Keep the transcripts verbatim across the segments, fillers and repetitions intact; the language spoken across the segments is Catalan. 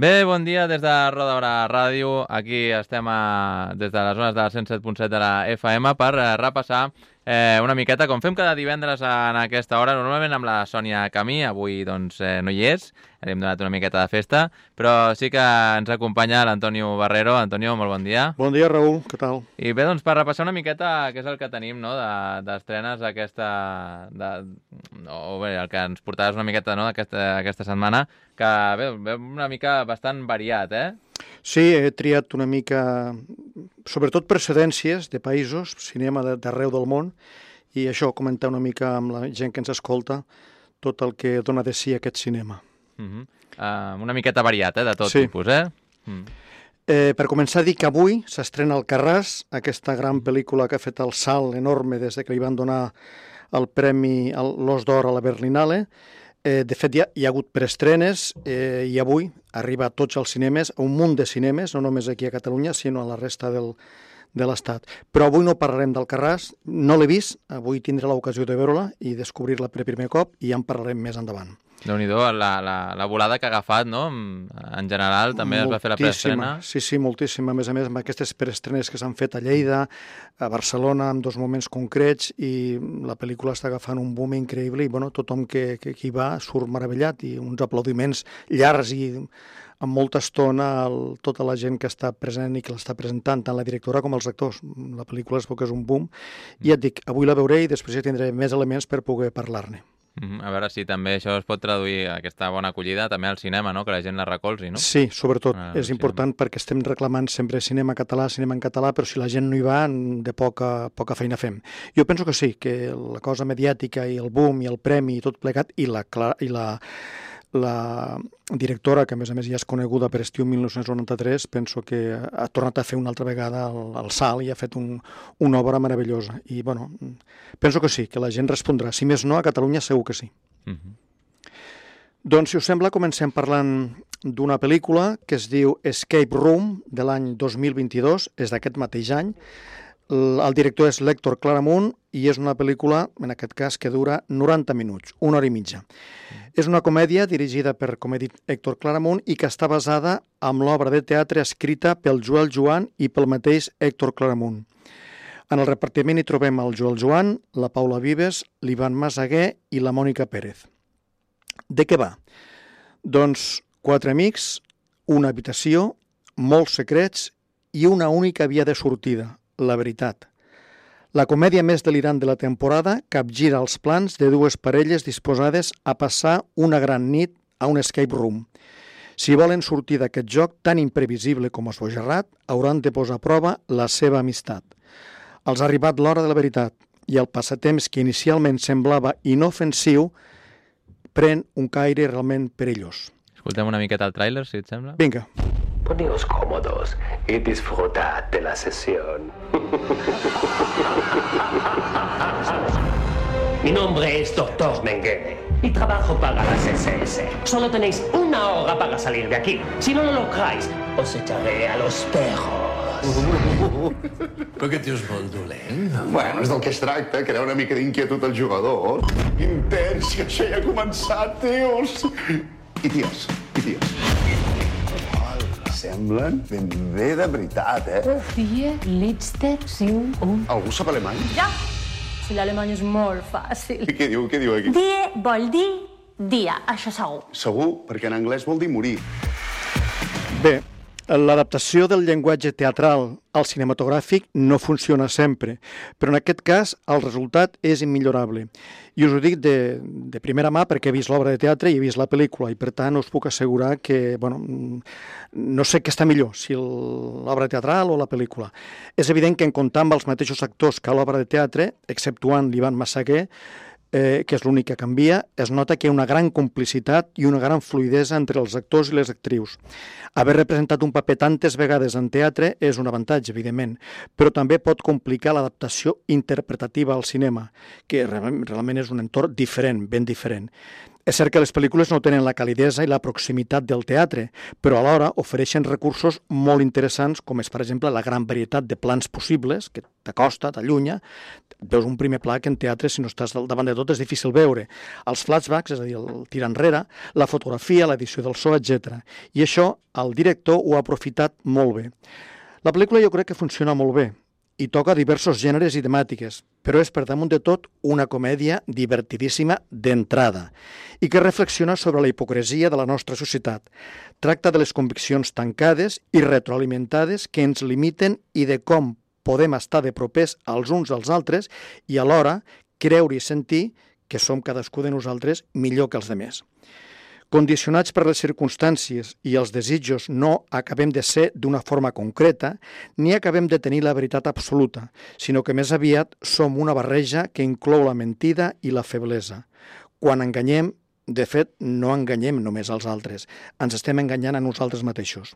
Bé, bon dia des de Roda Brava Ràdio. Aquí estem a, des de les zones del cent set punt set de la F M per eh, repassar eh, una miqueta, com fem cada divendres en aquesta hora, normalment amb la Sònia Camí. Avui doncs, eh, no hi és, li hem donat una miqueta de festa, però sí que ens acompanya l'Antonio Barrero. Antonio, molt bon dia. Bon dia, Raül, què tal? I bé, doncs per repassar una miqueta què és el que tenim, no?, d'estrenes de, aquesta... De, o bé, el que ens portaràs una miqueta, no?, d'aquesta aquesta setmana, que bé, ve una mica bastant variat, eh? Sí, he triat una mica, sobretot precedències de països, cinema d'arreu del món, i això, comentar una mica amb la gent que ens escolta tot el que dona de si aquest cinema. Uh -huh. uh, una miqueta variat, eh, de tot sí. tipus, eh? Mm. Eh, per començar, dir que avui s'estrena Alcarràs, aquesta gran pel·lícula que ha fet el salt enorme des que li van donar el premi, l'Os d'Or a la Berlinale. Eh, de fet, hi ha, hi ha hagut preestrenes eh, i avui arriba a tots els cinemes, a un munt de cinemes, no només aquí a Catalunya, sinó a la resta del, de l'Estat. Però avui no parlarem d'Alcarràs, no l'he vist, avui tindré l'ocasió de veure-la i descobrir-la per primer cop i ja en parlarem més endavant. Déu-n'hi-do, la, la, la volada que ha agafat, no? En general, també moltíssima. Es va fer la preestrena. Sí, sí, moltíssima. A més a més, amb aquestes preestrenes que s'han fet a Lleida, a Barcelona, en dos moments concrets, i la pel·lícula està agafant un boom increïble i bueno, tothom que, que, que hi va surt meravellat i uns aplaudiments llargs i amb molta estona el, tota la gent que està present i que l'està presentant, tant la directora com els actors. La pel·lícula es veu que és un boom. I ja et dic, avui la veuré i després ja tindré més elements per poder parlar-ne. A veure si també això es pot traduir, aquesta bona acollida, també al cinema, no?, que la gent la recolzi, no? Sí, sobretot. Ah, és important cinema. Perquè estem reclamant sempre cinema català, cinema en català, però si la gent no hi va, de poca, poca feina fem. Jo penso que sí, que la cosa mediàtica i el boom i el premi i tot plegat, i la, i la, la directora, que a més a més ja és coneguda per Estiu mil nou-cents noranta-tres, penso que ha tornat a fer una altra vegada el, el salt i ha fet un, una obra meravellosa. I, bueno, penso que sí, que la gent respondrà. Si més no, a Catalunya segur que sí. Uh -huh. Doncs, si us sembla, comencem parlant d'una pel·lícula que es diu Escape Room, de l'any dos mil vint-i-dos, és d'aquest mateix any. El director és l'Héctor Claramunt i és una pel·lícula, en aquest cas, que dura noranta minuts, una hora i mitja. Mm. És una comèdia dirigida per, com he dit, Héctor Claramunt i que està basada en l'obra de teatre escrita pel Joel Joan i pel mateix Héctor Claramunt. En el repartiment hi trobem el Joel Joan, la Paula Vives, l'Ivan Massaguer i la Mònica Pérez. De què va? Doncs quatre amics, una habitació, molts secrets i una única via de sortida, la veritat. La comèdia més delirant de la temporada capgira els plans de dues parelles disposades a passar una gran nit a un escape room. Si volen sortir d'aquest joc tan imprevisible com esbojarrat, hauran de posar a prova la seva amistat. Els ha arribat l'hora de la veritat i el passatemps que inicialment semblava inofensiu pren un caire realment perillós. Escoltem una miqueta el tràiler, si et sembla. Vinga. Poneos cómodos y disfrutad de la sesión. Mi nombre es doctor Mengele y trabajo para las S S. Solo tenéis una hora para salir de aquí. Si no lo lográis, os echaré a los perros. Per què dius molt dolent? Bueno, és del que es tracta, crear una mica d'inquietud als jugadors. Intens, que això ja ha començat, tios. I ties, i ties. Semblen ben bé de veritat, eh? Vier Liedster cinc un. Algú sap alemany? Ja! Si l'alemany és molt fàcil. Què diu, què diu aquí? Die vol dir dia, això segur. Segur, perquè en anglès vol dir morir. Bé, l'adaptació del llenguatge teatral al cinematogràfic no funciona sempre, però en aquest cas el resultat és immillorable. I us ho dic de, de primera mà perquè he vist l'obra de teatre i he vist la pel·lícula i per tant us puc assegurar que, bueno, no sé què està millor, si l'obra teatral o la pel·lícula. És evident que en comptar amb els mateixos actors que a l'obra de teatre, exceptuant l'Ivan Massaguer, eh, que és l'únic que canvia, es nota que hi ha una gran complicitat i una gran fluïdesa entre els actors i les actrius. Haver representat un paper tantes vegades en teatre és un avantatge, evidentment, però també pot complicar l'adaptació interpretativa al cinema, que realment és un entorn diferent, ben diferent. És cert que les pel·lícules no tenen la calidesa i la proximitat del teatre, però alhora ofereixen recursos molt interessants, com és, per exemple, la gran varietat de plans possibles, que t'acosta, t'allunya. Veus un primer pla que en teatre, si no estàs davant de tot, és difícil veure. Els flashbacks, és a dir, el tir enrere, la fotografia, l'edició del so, etcètera. I això el director ho ha aprofitat molt bé. La pel·lícula jo crec que funciona molt bé i toca diversos gèneres i temàtiques, però és per damunt de tot una comèdia divertidíssima d'entrada i que reflexiona sobre la hipocresia de la nostra societat. Tracta de les conviccions tancades i retroalimentades que ens limiten i de com podem estar de propers als uns als altres i alhora creure i sentir que som cadascú de nosaltres millor que els demés. Condicionats per les circumstàncies i els desitjos no acabem de ser d'una forma concreta ni acabem de tenir la veritat absoluta, sinó que més aviat som una barreja que inclou la mentida i la feblesa. Quan enganyem, de fet, no enganyem només als altres, ens estem enganyant a nosaltres mateixos.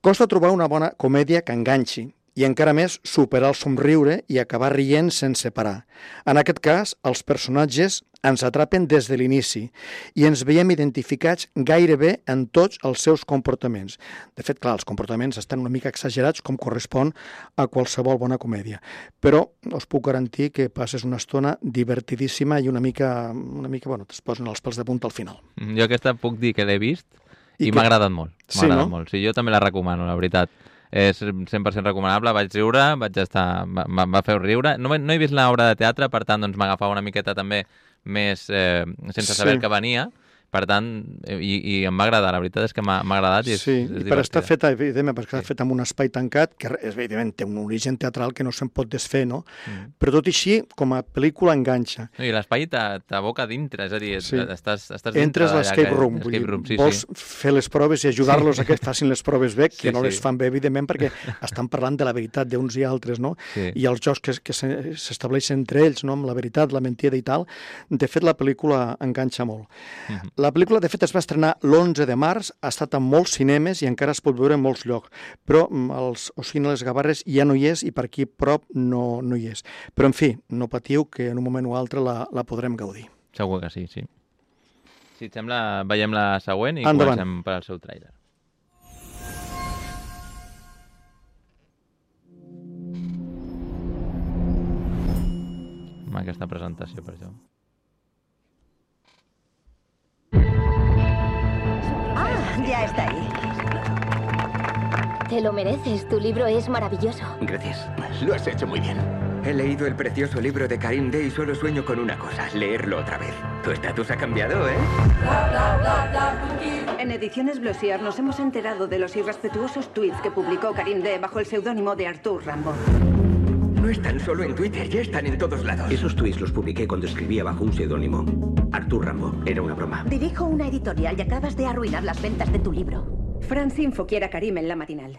Costa trobar una bona comèdia que enganxi, i encara més superar el somriure i acabar rient sense parar. En aquest cas, els personatges ens atrapen des de l'inici i ens veiem identificats gairebé en tots els seus comportaments. De fet, clar, els comportaments estan una mica exagerats com correspon a qualsevol bona comèdia. Però us puc garantir que passes una estona divertidíssima i una mica, una mica bueno, es posen els pèls de punta al final. Jo aquesta puc dir que l'he vist i, I m'ha que... agradat molt. Sí, agradat no? molt. Sí, jo també la recomano, la veritat. És cent per cent recomanable, vaig riure, vaig estar, em va fer riure. No, no he vist l'obra de teatre, per tant, doncs m'agafava una miqueta també més eh, sense saber Sí. el que venia, per tant, i, i em va agradar, la veritat és que m'ha agradat i és, Sí, és i per estar divertida. feta, evidentment, perquè està Sí. feta en un espai tancat, que evidentment té un origen teatral que no se'n pot desfer, no? Mm. Però tot i així, com a pel·lícula enganxa. No, I l'espai t'a- t'aboca dintre, és a dir, Sí. estàs, estàs dintre Entres a d'allà l'escape que- room, vull escape dir, room, sí, vols sí. fer les proves i ajudar-los a que facin les proves bé, que Sí, no les sí. fan bé, evidentment, perquè estan parlant de la veritat d'uns i altres, no? Sí. I els jocs que, que se- s'estableixen entre ells, no? Amb la veritat, la mentida i tal. De fet, la pel·lícula enganxa molt. Mhm. La pel·lícula, de fet, es va estrenar l'onze de març, ha estat en molts cinemes i encara es pot veure en molts llocs, però mm, els Ocine les Gavarres ja no hi és i per aquí prop no, no hi és. Però, en fi, no patiu que en un moment o altre la, la podrem gaudir. Segur que sí, sí. Si et sembla, veiem la següent i Endavant. comencem per al seu tràiler. Amb aquesta presentació, per això. Ah, ya está ahí. Te lo mereces, tu libro es maravilloso. Gracias. Lo has hecho muy bien. He leído el precioso libro de Karim Day y solo sueño con una cosa, leerlo otra vez. Tu estatus ha cambiado, ¿eh? En Ediciones Blossier nos hemos enterado de los irrespetuosos tweets que publicó Karim Day bajo el seudónimo de Artur Rimbaud. No están solo en Twitter, ya están en todos lados. Esos tweets los publiqué cuando escribía bajo un seudónimo. Artur Rimbaud. Era una broma. Dirijo una editorial y acabas de arruinar las ventas de tu libro. Francinfo quiere a Karim en la matinal.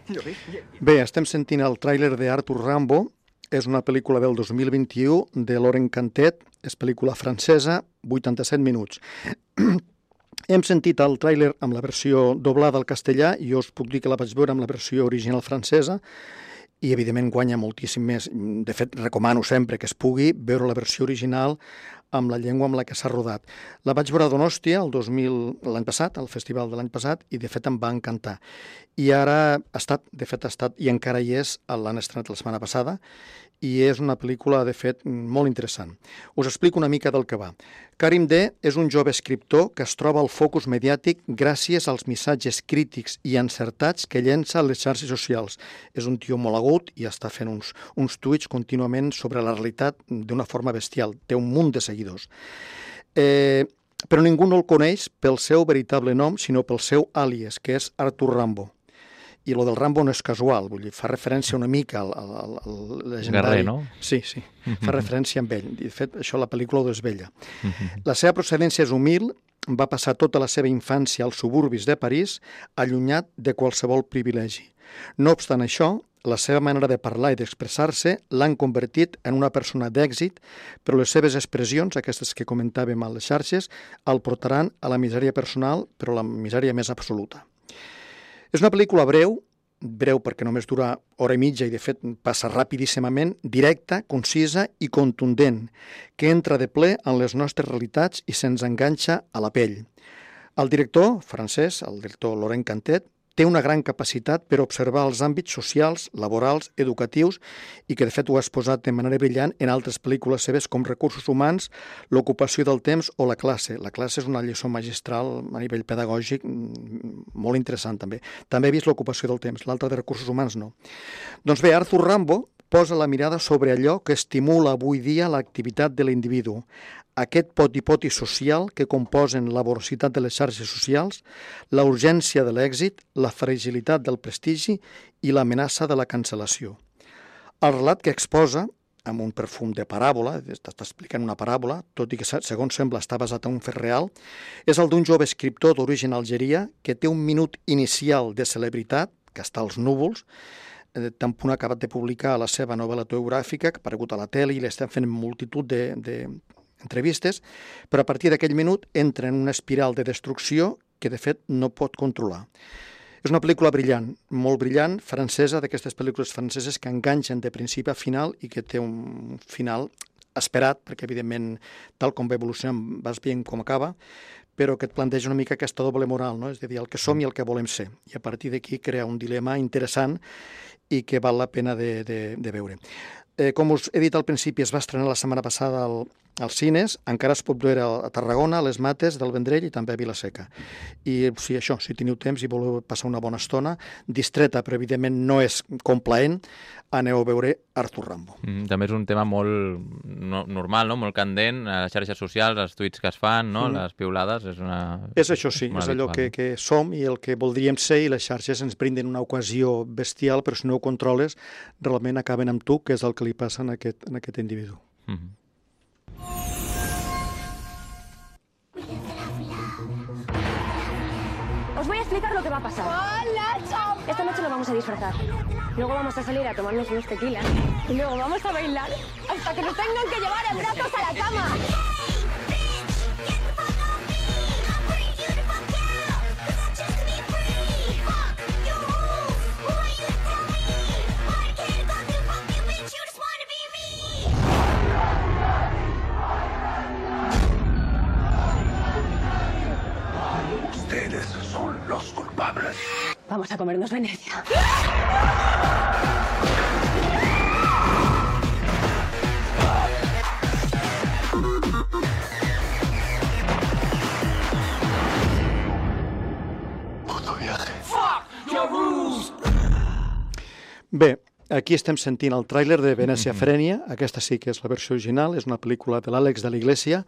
Bé, estem sentint el tràiler d'Artur Rimbaud. És una pel·lícula del dos mil vint-i-u de Laurent Cantet. És pel·lícula francesa, vuitanta-set minuts. Hem sentit el tràiler amb la versió doblada al castellà i jo us puc dir que la vaig veure amb la versió original francesa i, evidentment, guanya moltíssim més. De fet, recomano sempre que es pugui veure la versió original amb la llengua amb la que s'ha rodat. La vaig veure a Donòstia el dos mil l'any passat, al festival de l'any passat, i de fet em va encantar. I ara ha estat, de fet ha estat, i encara hi és, l'han estrenat la setmana passada, i és una pel·lícula, de fet, molt interessant. Us explico una mica del que va. Karim Day és un jove escriptor que es troba al focus mediàtic gràcies als missatges crítics i encertats que llença a les xarxes socials. És un tio molt agut i està fent uns, uns tuits contínuament sobre la realitat d'una forma bestial. Té un munt de seguidors. Eh, però ningú no el coneix pel seu veritable nom, sinó pel seu àlies, que és Artur Rimbaud. I lo del Rimbaud no és casual, vull dir, fa referència una mica al, al, al, al legendari... Guerrer, no? Sí, sí, fa referència amb ell. De fet, això la pel·lícula ho desvella. La seva procedència és humil, va passar tota la seva infància als suburbis de París, allunyat de qualsevol privilegi. No obstant això, la seva manera de parlar i d'expressar-se l'han convertit en una persona d'èxit, però les seves expressions, aquestes que comentàvem a les xarxes, el portaran a la misèria personal, però la misèria més absoluta. És una pel·lícula breu, breu perquè només dura hora i mitja i de fet passa rapidíssimament, directa, concisa i contundent, que entra de ple en les nostres realitats i se'ns enganxa a la pell. El director francès, el director Laurent Cantet, té una gran capacitat per observar els àmbits socials, laborals, educatius i que de fet ho has posat de manera brillant en altres pel·lícules seves com Recursos humans, L'ocupació del temps o La classe. La classe és una lliçó magistral a nivell pedagògic molt interessant també. També he vist L'ocupació del temps, l'altra de Recursos humans no. Doncs bé, Arthur Rimbaud posa la mirada sobre allò que estimula avui dia l'activitat de l'individu. Aquest poti-poti social que composen la vorositat de les xarxes socials, la urgència de l'èxit, la fragilitat del prestigi i l'amenaça de la cancel·lació. El relat que exposa, amb un perfum de paràbola, està explicant una paràbola, tot i que segons sembla està basat en un fet real, és el d'un jove escriptor d'origen algeria que té un minut inicial de celebritat, que està als núvols, tan punt ha acabat de publicar la seva novel·la autobiogràfica, que ha aparegut a la tele i l'estan fent multitud de, de entrevistes, però a partir d'aquell minut entra en una espiral de destrucció que de fet no pot controlar. És una pel·lícula brillant, molt brillant, francesa, d'aquestes pel·lícules franceses que enganxen de principi a final i que té un final esperat, perquè evidentment tal com va evolucionant vas veient com acaba, però que et planteja una mica aquesta doble moral, no? És a dir, el que som i el que volem ser. I a partir d'aquí crea un dilema interessant i que val la pena de, de, de veure. Eh, com us he dit al principi, es va estrenar la setmana passada al, als cines, encara es pot veure a Tarragona, a les Mates, del Vendrell i també a Vila-seca. I si això, si teniu temps i voleu passar una bona estona, distreta, però evidentment no és complaent, aneu a veure Arthur Rimbaud. Mm, també és un tema molt no, normal, no? Molt candent, a les xarxes socials, els tuits que es fan, no? Mm. Les piulades, és una... És això, sí, és allò que, que som i el que voldríem ser i les xarxes ens brinden una ocasió bestial, però si no ho controles, realment acaben amb tu, que és el que li passa en aquest, en aquest individu. Mm-hmm. Os voy a explicar lo que va a pasar. ¡Hola, chao! Esta noche lo vamos a disfrazar. Luego vamos a salir a tomarnos unos tequilas. Y luego vamos a bailar hasta que nos tengan que llevar en brazos a la cama. Ustedes son los culpables. Vamos a comernos Venecia. Puto viaje. Fuck your rules! Bé, aquí estem sentint el tràiler de Venècia Frenia. Aquesta sí que és la versió original, és una pel·lícula de l'Àlex de la Iglesia,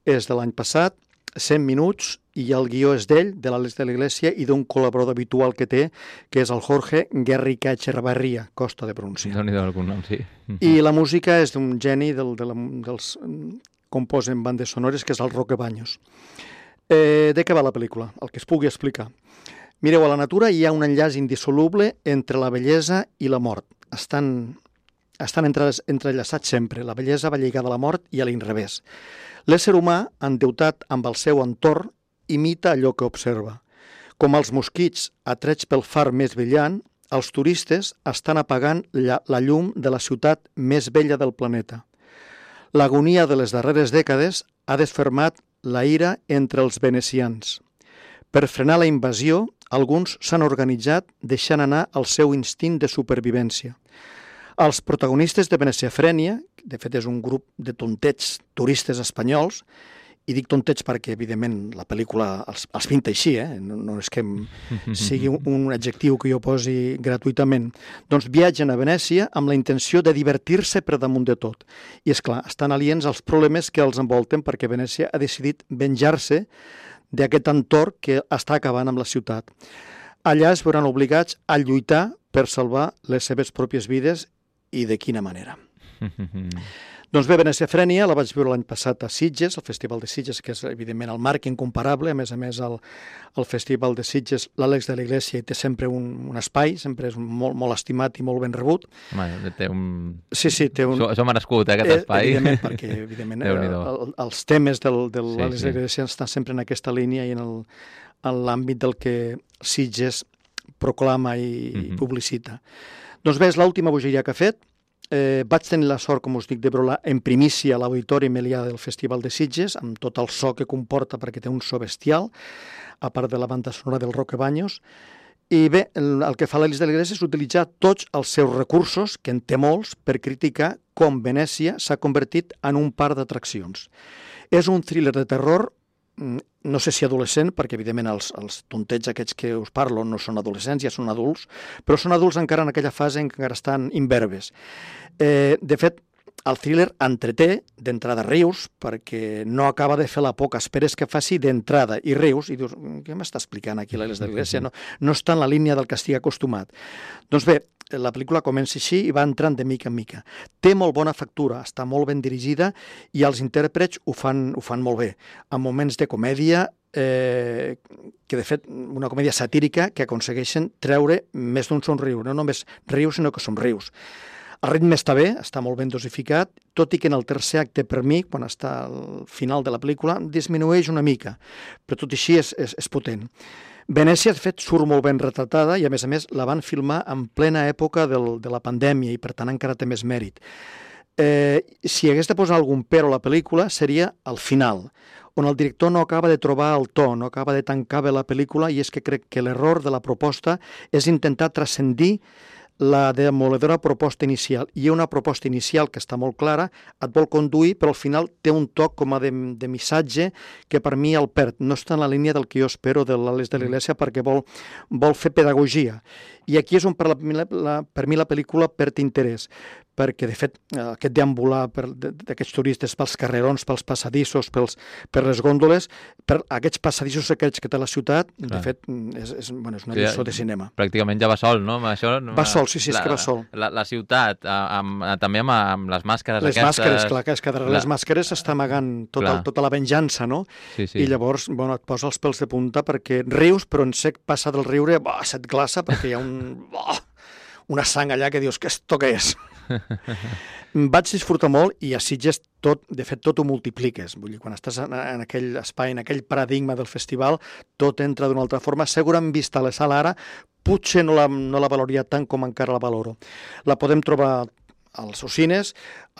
és de l'any passat, cent minuts, i el guió és d'ell, de l'Àlex de la Iglesia, i d'un col·laborador habitual que té, que és el Jorge Guerrica Echevarria, costa de pronunciar. Déu-n'hi-do algun nom, sí. I la música és d'un geni del, de la, dels composen bandes sonores, que és el Roque Baños. Eh, de què va la pel·lícula? El que es pugui explicar. Mireu, a la natura hi ha un enllaç indissoluble entre la bellesa i la mort. Estan, estan entre, entrellaçats sempre. La bellesa va lligada a la mort i a l'inrevés. L'ésser humà, endeutat amb el seu entorn, imita allò que observa. Com els mosquits atrets pel far més brillant, els turistes estan apagant la, la llum de la ciutat més bella del planeta. L'agonia de les darreres dècades ha desfermat la ira entre els venecians. Per frenar la invasió, alguns s'han organitzat deixant anar el seu instint de supervivència. Els protagonistes de Venècia Frenia, de fet és un grup de tontets turistes espanyols, i dic tontets perquè, evidentment, la pel·lícula els, els pinta així, eh? no, no és que sigui un, un adjectiu que jo posi gratuïtament. Doncs viatgen a Venècia amb la intenció de divertir-se per damunt de tot. I, és clar, estan aliens als problemes que els envolten perquè Venècia ha decidit venjar-se d'aquest entorn que està acabant amb la ciutat. Allà es veuran obligats a lluitar per salvar les seves pròpies vides i de quina manera. Doncs bé, Venècia Frenia la vaig veure l'any passat a Sitges, al Festival de Sitges, que és evidentment el marc incomparable. A més a més, el, el Festival de Sitges, l'Àlex de la Iglesia, hi té sempre un, un espai, sempre és molt, molt estimat i molt ben rebut. Home, té un... Sí, sí, té un... S'ho ha merescut, eh, aquest espai. Eh, evidentment, perquè evidentment, el, els temes del, del sí, l'Àlex sí. de la Iglesia estan sempre en aquesta línia i en l'àmbit del que Sitges proclama i mm-hmm. publicita. Doncs bé, és l'última bogeria que ha fet. Eh, vaig tenir la sort, com us dic, de veure-la en primícia a l'Auditori Melià del Festival de Sitges, amb tot el so que comporta, perquè té un so bestial, a part de la banda sonora del Roque Baños. I bé, el, el que fa l'Elis de l'Iglésia és utilitzar tots els seus recursos, que en té molts, per criticar com Venècia s'ha convertit en un parc d'atraccions. És un thriller de terror, no sé si adolescent, perquè evidentment els, els tontets aquests que us parlo no són adolescents, ja són adults, però són adults encara en aquella fase en què encara estan imberbes. Eh, de fet, el thriller entreté, d'entrada rius, perquè no acaba de fer la por que esperes que faci d'entrada, i rius, i dius, què m'està explicant aquí l'Elis de l'Iglésia? No, no està en la línia del que estigui acostumat. Doncs bé, la pel·lícula comença així i va entrant de mica en mica. Té molt bona factura, està molt ben dirigida i els intèrprets ho fan, ho fan molt bé. En moments de comèdia, eh, que de fet una comèdia satírica que aconsegueixen treure més d'un somriure, no només rius sinó que somrius. El ritme està bé, està molt ben dosificat, tot i que en el tercer acte per mi, quan està al final de la pel·lícula, disminueix una mica, però tot i així és, és, és potent. Venècia, de fet, surt molt ben retratada i, a més a més, la van filmar en plena època del, de la pandèmia i, per tant, encara té més mèrit. Eh, si hagués de posar algun però a la pel·lícula, seria al final, on el director no acaba de trobar el to, no acaba de tancar bé la pel·lícula, i és que crec que l'error de la proposta és intentar transcendir la demoledora proposta inicial. Hi ha una proposta inicial que està molt clara, et vol conduir, però al final té un toc com a de, de missatge que per mi el perd. No està en la línia del que jo espero de l'Elis de l'Iglésia perquè vol, vol fer pedagogia. I aquí és on per, la, la, per mi la pel·lícula perd interès, perquè de fet aquest deambular d'aquests turistes pels carrerons, pels passadissos, pels, per les gòndoles, per aquests passadissos aquests que té la ciutat, Clar. de fet és, és, bueno, és una lliçó sí, de cinema. Pràcticament ja va sol, no? Això, va sol, sí, sí, és la, que va sol. La, la ciutat, amb, també amb, amb les màscares les aquestes... Les màscares, clar, que és que darrere la... les màscares s'està amagant tot el, tota la venjança, no? Sí, sí. I llavors, bueno, et posa els pèls de punta perquè rius, però en sec passa del riure, bah, se't glaça perquè hi ha un... Oh, una sang allà que dius, que esto què és? Vaig disfrutar molt i a Sitges tot, de fet, tot ho multipliques. Vull dir, quan estàs en, en aquell espai, en aquell paradigma del festival, tot entra d'una altra forma. Segurament vista a la sala ara, potser no la, no la valoria tant com encara la valoro. La podem trobar als Ocines,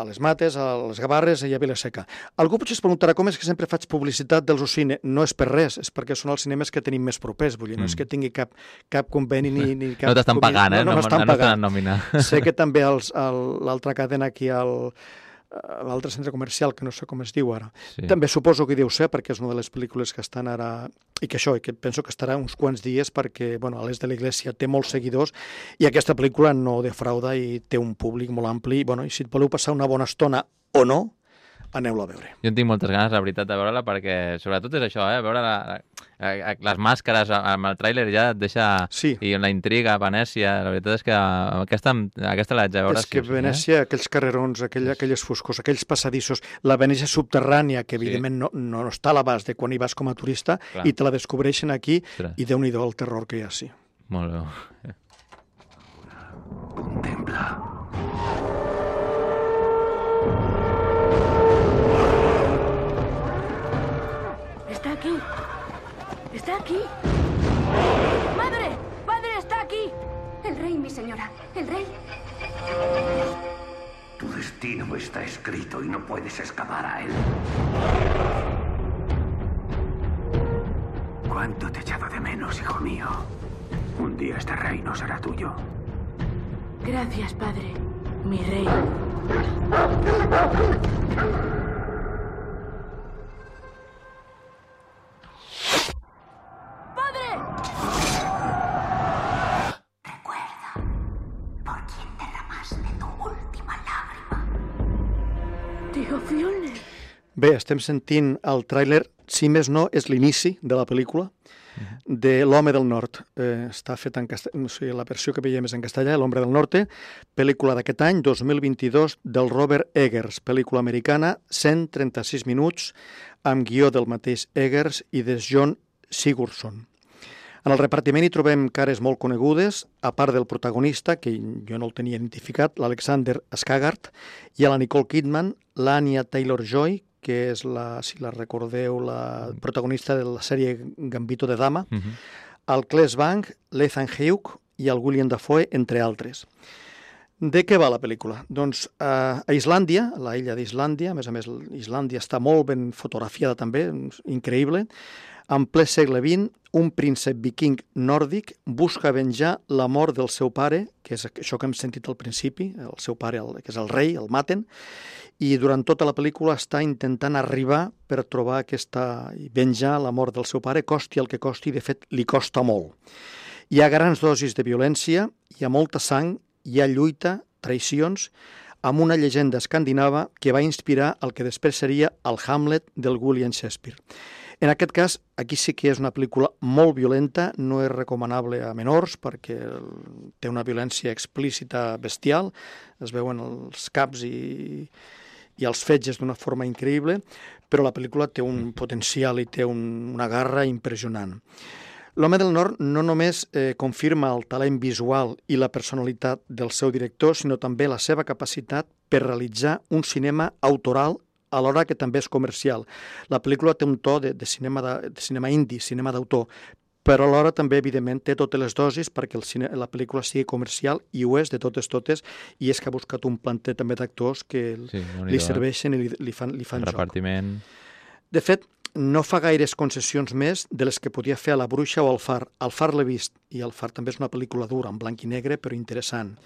a les Mates, a les Gavarres i a Vila-seca. Algú potser es preguntarà com és que sempre faig publicitat dels Ocines. No és per res, és perquè són els cinemes que tenim més propers. Vull dir, mm. no és que tingui cap, cap conveni ni, ni cap... No t'estan pagant, eh? No, no, no m'estan pagant. Nòmina. Sé que també l'altra cadena aquí al... l'altre centre comercial, que no sé com es diu ara. Sí. També suposo que deu ser, perquè és una de les pel·lícules que estan ara... I que això, i que penso que estarà uns quants dies perquè, bueno, l'Elis de l'Iglésia té molts seguidors i aquesta pel·lícula no defrauda i té un públic molt ampli. I, bueno, i si et voleu passar una bona estona o no, aneu-la a veure. Jo en tinc moltes ganes, la veritat, de veure-la, perquè sobretot és això, eh? Veure la, la, les màscares amb el tràiler ja et deixa... Sí. I la intriga a Venècia, la veritat és que aquesta, aquesta l'haig de veure. És que sí, Venècia, eh? aquells carrerons, aquell, aquelles foscos, aquells passadissos, la Venècia subterrània, que evidentment sí. no, no està a l'abast de quan hi vas com a turista, Clar. I te la descobreixen aquí, Ostres. I déu-n'hi-do el terror que hi ha, sí. Molt bé. Contempla. Está aquí. Está aquí. ¡Madre! ¡Padre, está aquí! El rey, mi señora. El rey. Tu destino está escrito y no puedes escapar a él. ¿Cuánto te he echado de menos, hijo mío? Un día este reino será tuyo. Gracias, padre. Mi rey. Bé, estem sentint el tràiler, si més no, és l'inici de la pel·lícula de L'Home del Nord. Eh, està fet en castellà, o sigui, la versió que veiem és en castellà, L'Hombre del Norte, pel·lícula d'aquest any, dos mil vint-i-dos, del Robert Eggers, pel·lícula americana, cent trenta-sis minuts, amb guió del mateix Eggers i de John Sigurdsson. En el repartiment hi trobem cares molt conegudes, a part del protagonista, que jo no el tenia identificat, l'Alexander Skarsgård, i a la Nicole Kidman, l'Anya Taylor-Joy, que és, la, si la recordeu, la protagonista de la sèrie Gambito de Dama, uh-huh. el Claes Bang, l'Ethan Hawke i el William Dafoe, entre altres. De què va la pel·lícula? Doncs eh, a Islàndia, a la illa d'Islàndia, a més a més Islàndia està molt ben fotografiada també, increïble, en ple segle vint, un príncep viking nòrdic busca venjar la mort del seu pare, que és això que hem sentit al principi, el seu pare, el, que és el rei, el maten, i durant tota la pel·lícula està intentant arribar per trobar aquesta, i venjar la mort del seu pare, costi el que costi, de fet li costa molt. Hi ha grans dosis de violència, hi ha molta sang, hi ha lluita, traïcions, amb una llegenda escandinava que va inspirar el que després seria el Hamlet del William Shakespeare. En aquest cas, aquí sí que és una pel·lícula molt violenta, no és recomanable a menors perquè té una violència explícita bestial, es veuen els caps i, i els fetges d'una forma increïble, però la pel·lícula té un potencial i té un, una garra impressionant. L'Home del Nord no només eh, confirma el talent visual i la personalitat del seu director, sinó també la seva capacitat per realitzar un cinema autoral alhora que també és comercial. La pel·lícula té un to de, de, cinema, de, de cinema indi, cinema d'autor, però alhora també, evidentment, té totes les dosis perquè el cine, la pel·lícula sigui comercial, i ho és de totes totes, i és que ha buscat un planter també d'actors que sí, li serveixen i li, li fan, li fan joc. Repartiment. De fet, no fa gaires concessions més de les que podia fer a La Bruixa o al Far. Al Far l'he vist, i el Far també és una pel·lícula dura, en blanc i negre, però interessant.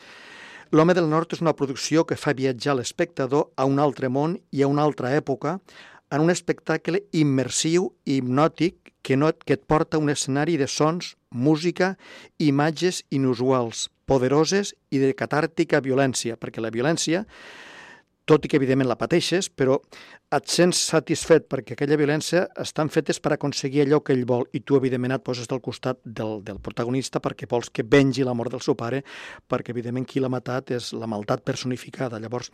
L'Home del Nord és una producció que fa viatjar l'espectador a un altre món i a una altra època, en un espectacle immersiu i hipnòtic que, no, que et porta a un escenari de sons, música, imatges inusuals, poderoses i de catàrtica violència, perquè la violència, tot i que evidentment la pateixes, però et sents satisfet perquè aquella violència estan fetes per aconseguir allò que ell vol, i tu evidentment et poses del costat del, del protagonista perquè vols que vengi la mort del seu pare, perquè evidentment qui l'ha matat és la maldat personificada. Llavors,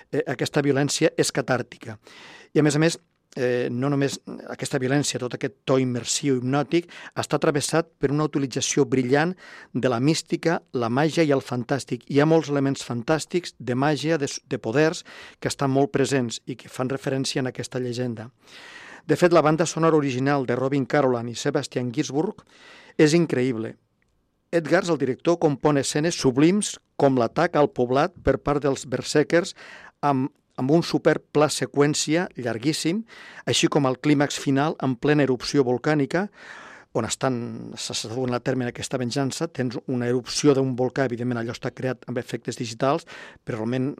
eh, aquesta violència és catàrtica. I a més a més, eh, no només aquesta violència, tot aquest to immersiu hipnòtic, està travessat per una utilització brillant de la mística, la màgia i el fantàstic. Hi ha molts elements fantàstics de màgia, de, de poders, que estan molt presents i que fan referència en aquesta llegenda. De fet, la banda sonora original de Robin Carolan i Sebastian Gainsbourg és increïble. Edgars, el director, compon escenes sublims com l'atac al poblat per part dels berserkers amb amb un super pla seqüència llarguíssim, així com el clímax final en plena erupció volcànica, on estan, s'està duent a terme aquesta venjança, tens una erupció d'un volcà, evidentment allò està creat amb efectes digitals, però realment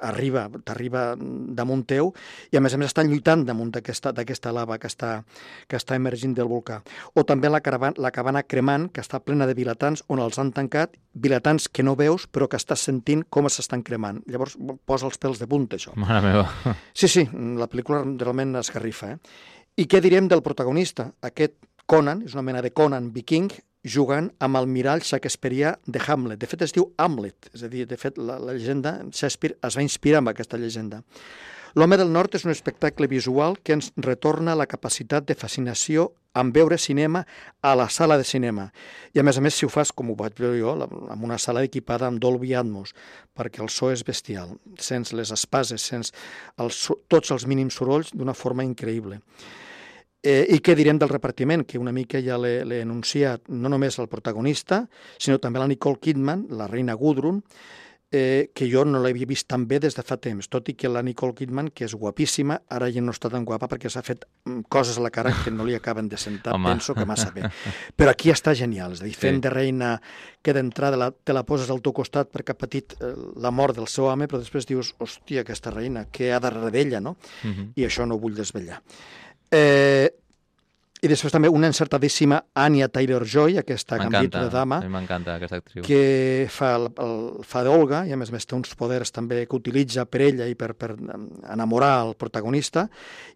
arriba, t'arriba damunt teu, i a més a més estan lluitant damunt d'aquesta lava que està, que està emergint del volcà. O també la, caravana, la cabana cremant, que està plena de vilatans, on els han tancat, vilatans que no veus, però que estàs sentint com s'estan cremant. Llavors posa els pèls de punta, això. Mare meva. Sí, sí, la pel·lícula realment esgarrifa. Eh? I què direm del protagonista? Aquest Conan, és una mena de Conan viking, jugant amb el mirall shakespearià de Hamlet. De fet, es diu Hamlet, és a dir, de fet, la, la llegenda, Shakespeare es va inspirar en aquesta llegenda. L'Home del Nord és un espectacle visual que ens retorna la capacitat de fascinació en veure cinema a la sala de cinema. I a més a més, si ho fas, com ho vaig veure jo, en una sala equipada amb Dolby Atmos, perquè el so és bestial, sents les espases, sents els, tots els mínims sorolls d'una forma increïble. Eh, I què direm del repartiment, que una mica ja l'he anunciat, no només el protagonista, sinó també la Nicole Kidman, la reina Gudrun, eh, que jo no l'havia vist tan bé des de fa temps, tot i que la Nicole Kidman, que és guapíssima, ara ja no està tan guapa perquè s'ha fet coses a la cara que no li acaben de sentar, Home. penso que massa bé. Però aquí està genial, és a dir, fent sí. de reina que d'entrada la, te la poses al teu costat perquè ha patit eh, la mort del seu home, però després dius, hòstia, aquesta reina, què ha darrere d'ella, no? Uh-huh. I això no ho vull desvetllar. Eh, I després també una encertadíssima Anya Taylor-Joy, aquesta Gambit de dama, m'encanta aquesta actriu, que fa, el, el, fa d'Olga, i a més a més té uns poders també que utilitza per ella i per, per enamorar el protagonista,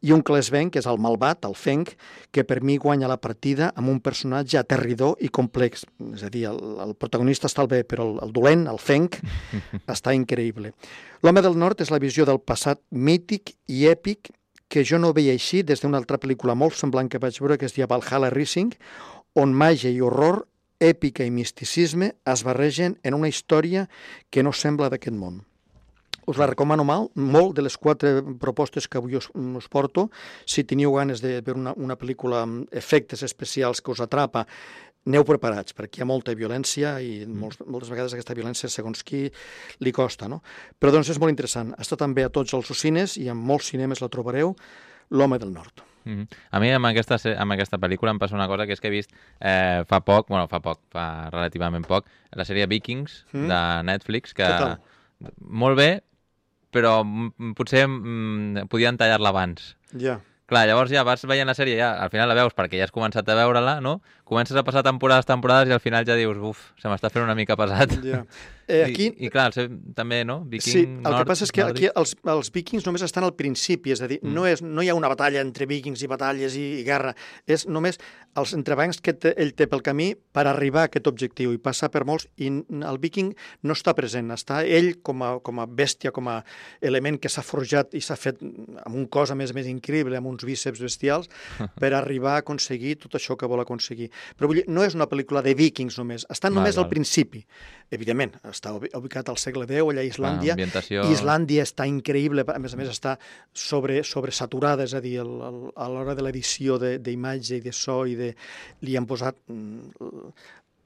i un Claes Bang, que és el malvat, el Feng, que per mi guanya la partida amb un personatge aterridor i complex. És a dir, el, el protagonista està bé, però el, el dolent, el Feng, està increïble. L'Home del Nord és la visió del passat mític i èpic que jo no veia així des d'una altra pel·lícula molt semblant que vaig veure, que es deia Valhalla Rising, on màgia i horror, èpica i misticisme es barregen en una història que no sembla d'aquest món. Us la recomano mal, molt de les quatre propostes que avui us, us porto. Si teniu ganes de veure una, una pel·lícula amb efectes especials que us atrapa, aneu preparats, perquè hi ha molta violència i molts, moltes vegades aquesta violència, segons qui, li costa, no? Però doncs és molt interessant. Està també a tots els cines i en molts cinemes la trobareu, L'home del nord. Mm-hmm. A mi amb aquesta, amb aquesta pel·lícula em passa una cosa, que és que he vist eh, fa poc, bueno, fa poc, fa relativament poc, la sèrie Vikings mm. de Netflix, que Total. Molt bé, però potser mm, podien tallar-la abans. Ja. Yeah. Clar, llavors ja vas veient la sèrie, ja al final la veus perquè ja has començat a veure-la, no? Comences a passar temporades, temporades i al final ja dius, uf, se m'està fent una mica pesat. Ja. Eh, aquí... I, I clar, també, no? Viking, sí, el nord, que passa és que nòrdic. aquí els, els vikings només estan al principi, és a dir, mm. no, és, no hi ha una batalla entre vikings i batalles i, i guerra, és només els entrebancs que té, ell té pel camí per arribar a aquest objectiu i passar per molts, i el viking no està present, està ell com a, com a bèstia, com a element que s'ha forjat i s'ha fet amb un cos a més més increïble, amb uns bíceps bestials, per arribar a aconseguir tot això que vol aconseguir. Però vull dir, no és una pel·lícula de vikings només, està només val, al val. principi. Evidentment, està ubicat al segle deu, allà a Islàndia, ambientació... Islàndia està increïble, a més a més està sobre, sobresaturada, és a dir, el, el, a l'hora de l'edició d'imatge i de so, i de, li han posat...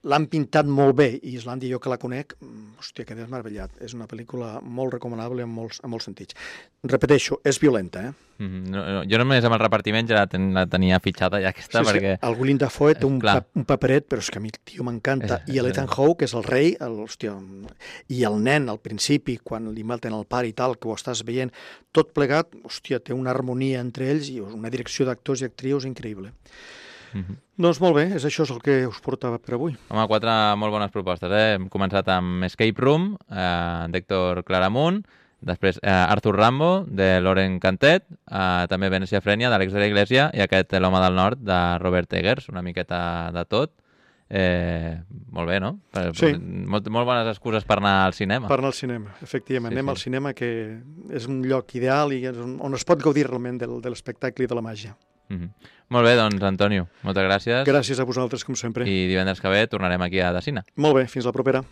L'han pintat molt bé, i Islàndia, jo que la conec, hòstia, quedé meravellat. És una pel·lícula molt recomanable en molts, en molts sentits. Repeteixo, és violenta, eh? Mm-hmm. no, no, jo només amb el repartiment ja la, ten, la tenia fitxada, ja aquesta, sí, perquè... Sí, el Willem Dafoe té un, pa, un paperet, però és que a mi el tio m'encanta. I l'Ethan Hawke, que és el rei, el, hòstia, i el nen, al principi, quan li maten el pare i tal, que ho estàs veient, tot plegat, hòstia, té una harmonia entre ells i una direcció d'actors i actrius increïble. Mm-hmm. Doncs molt bé, és això és el que us portava per avui. Home, quatre molt bones propostes, eh? Hem començat amb Escape Room, eh, d'Héctor Claramunt, després eh, Arthur Rambo, de Lauren Cantet, eh, també Venècia Frenia, d'Àlex de la Iglesia, i aquest L'home del nord, de Robert Eggers, una miqueta de tot. Eh, molt bé, no? Per, sí. Molt, molt bones excuses per anar al cinema. Per anar al cinema, efectivament. Sí, Anem sí. al cinema, que és un lloc ideal i on es pot gaudir realment del, de l'espectacle i de la màgia. Mm-hmm. Molt bé, doncs, Antonio, moltes gràcies. Gràcies a vosaltres, com sempre. I divendres que ve tornarem aquí a Decina. Molt bé, fins la propera.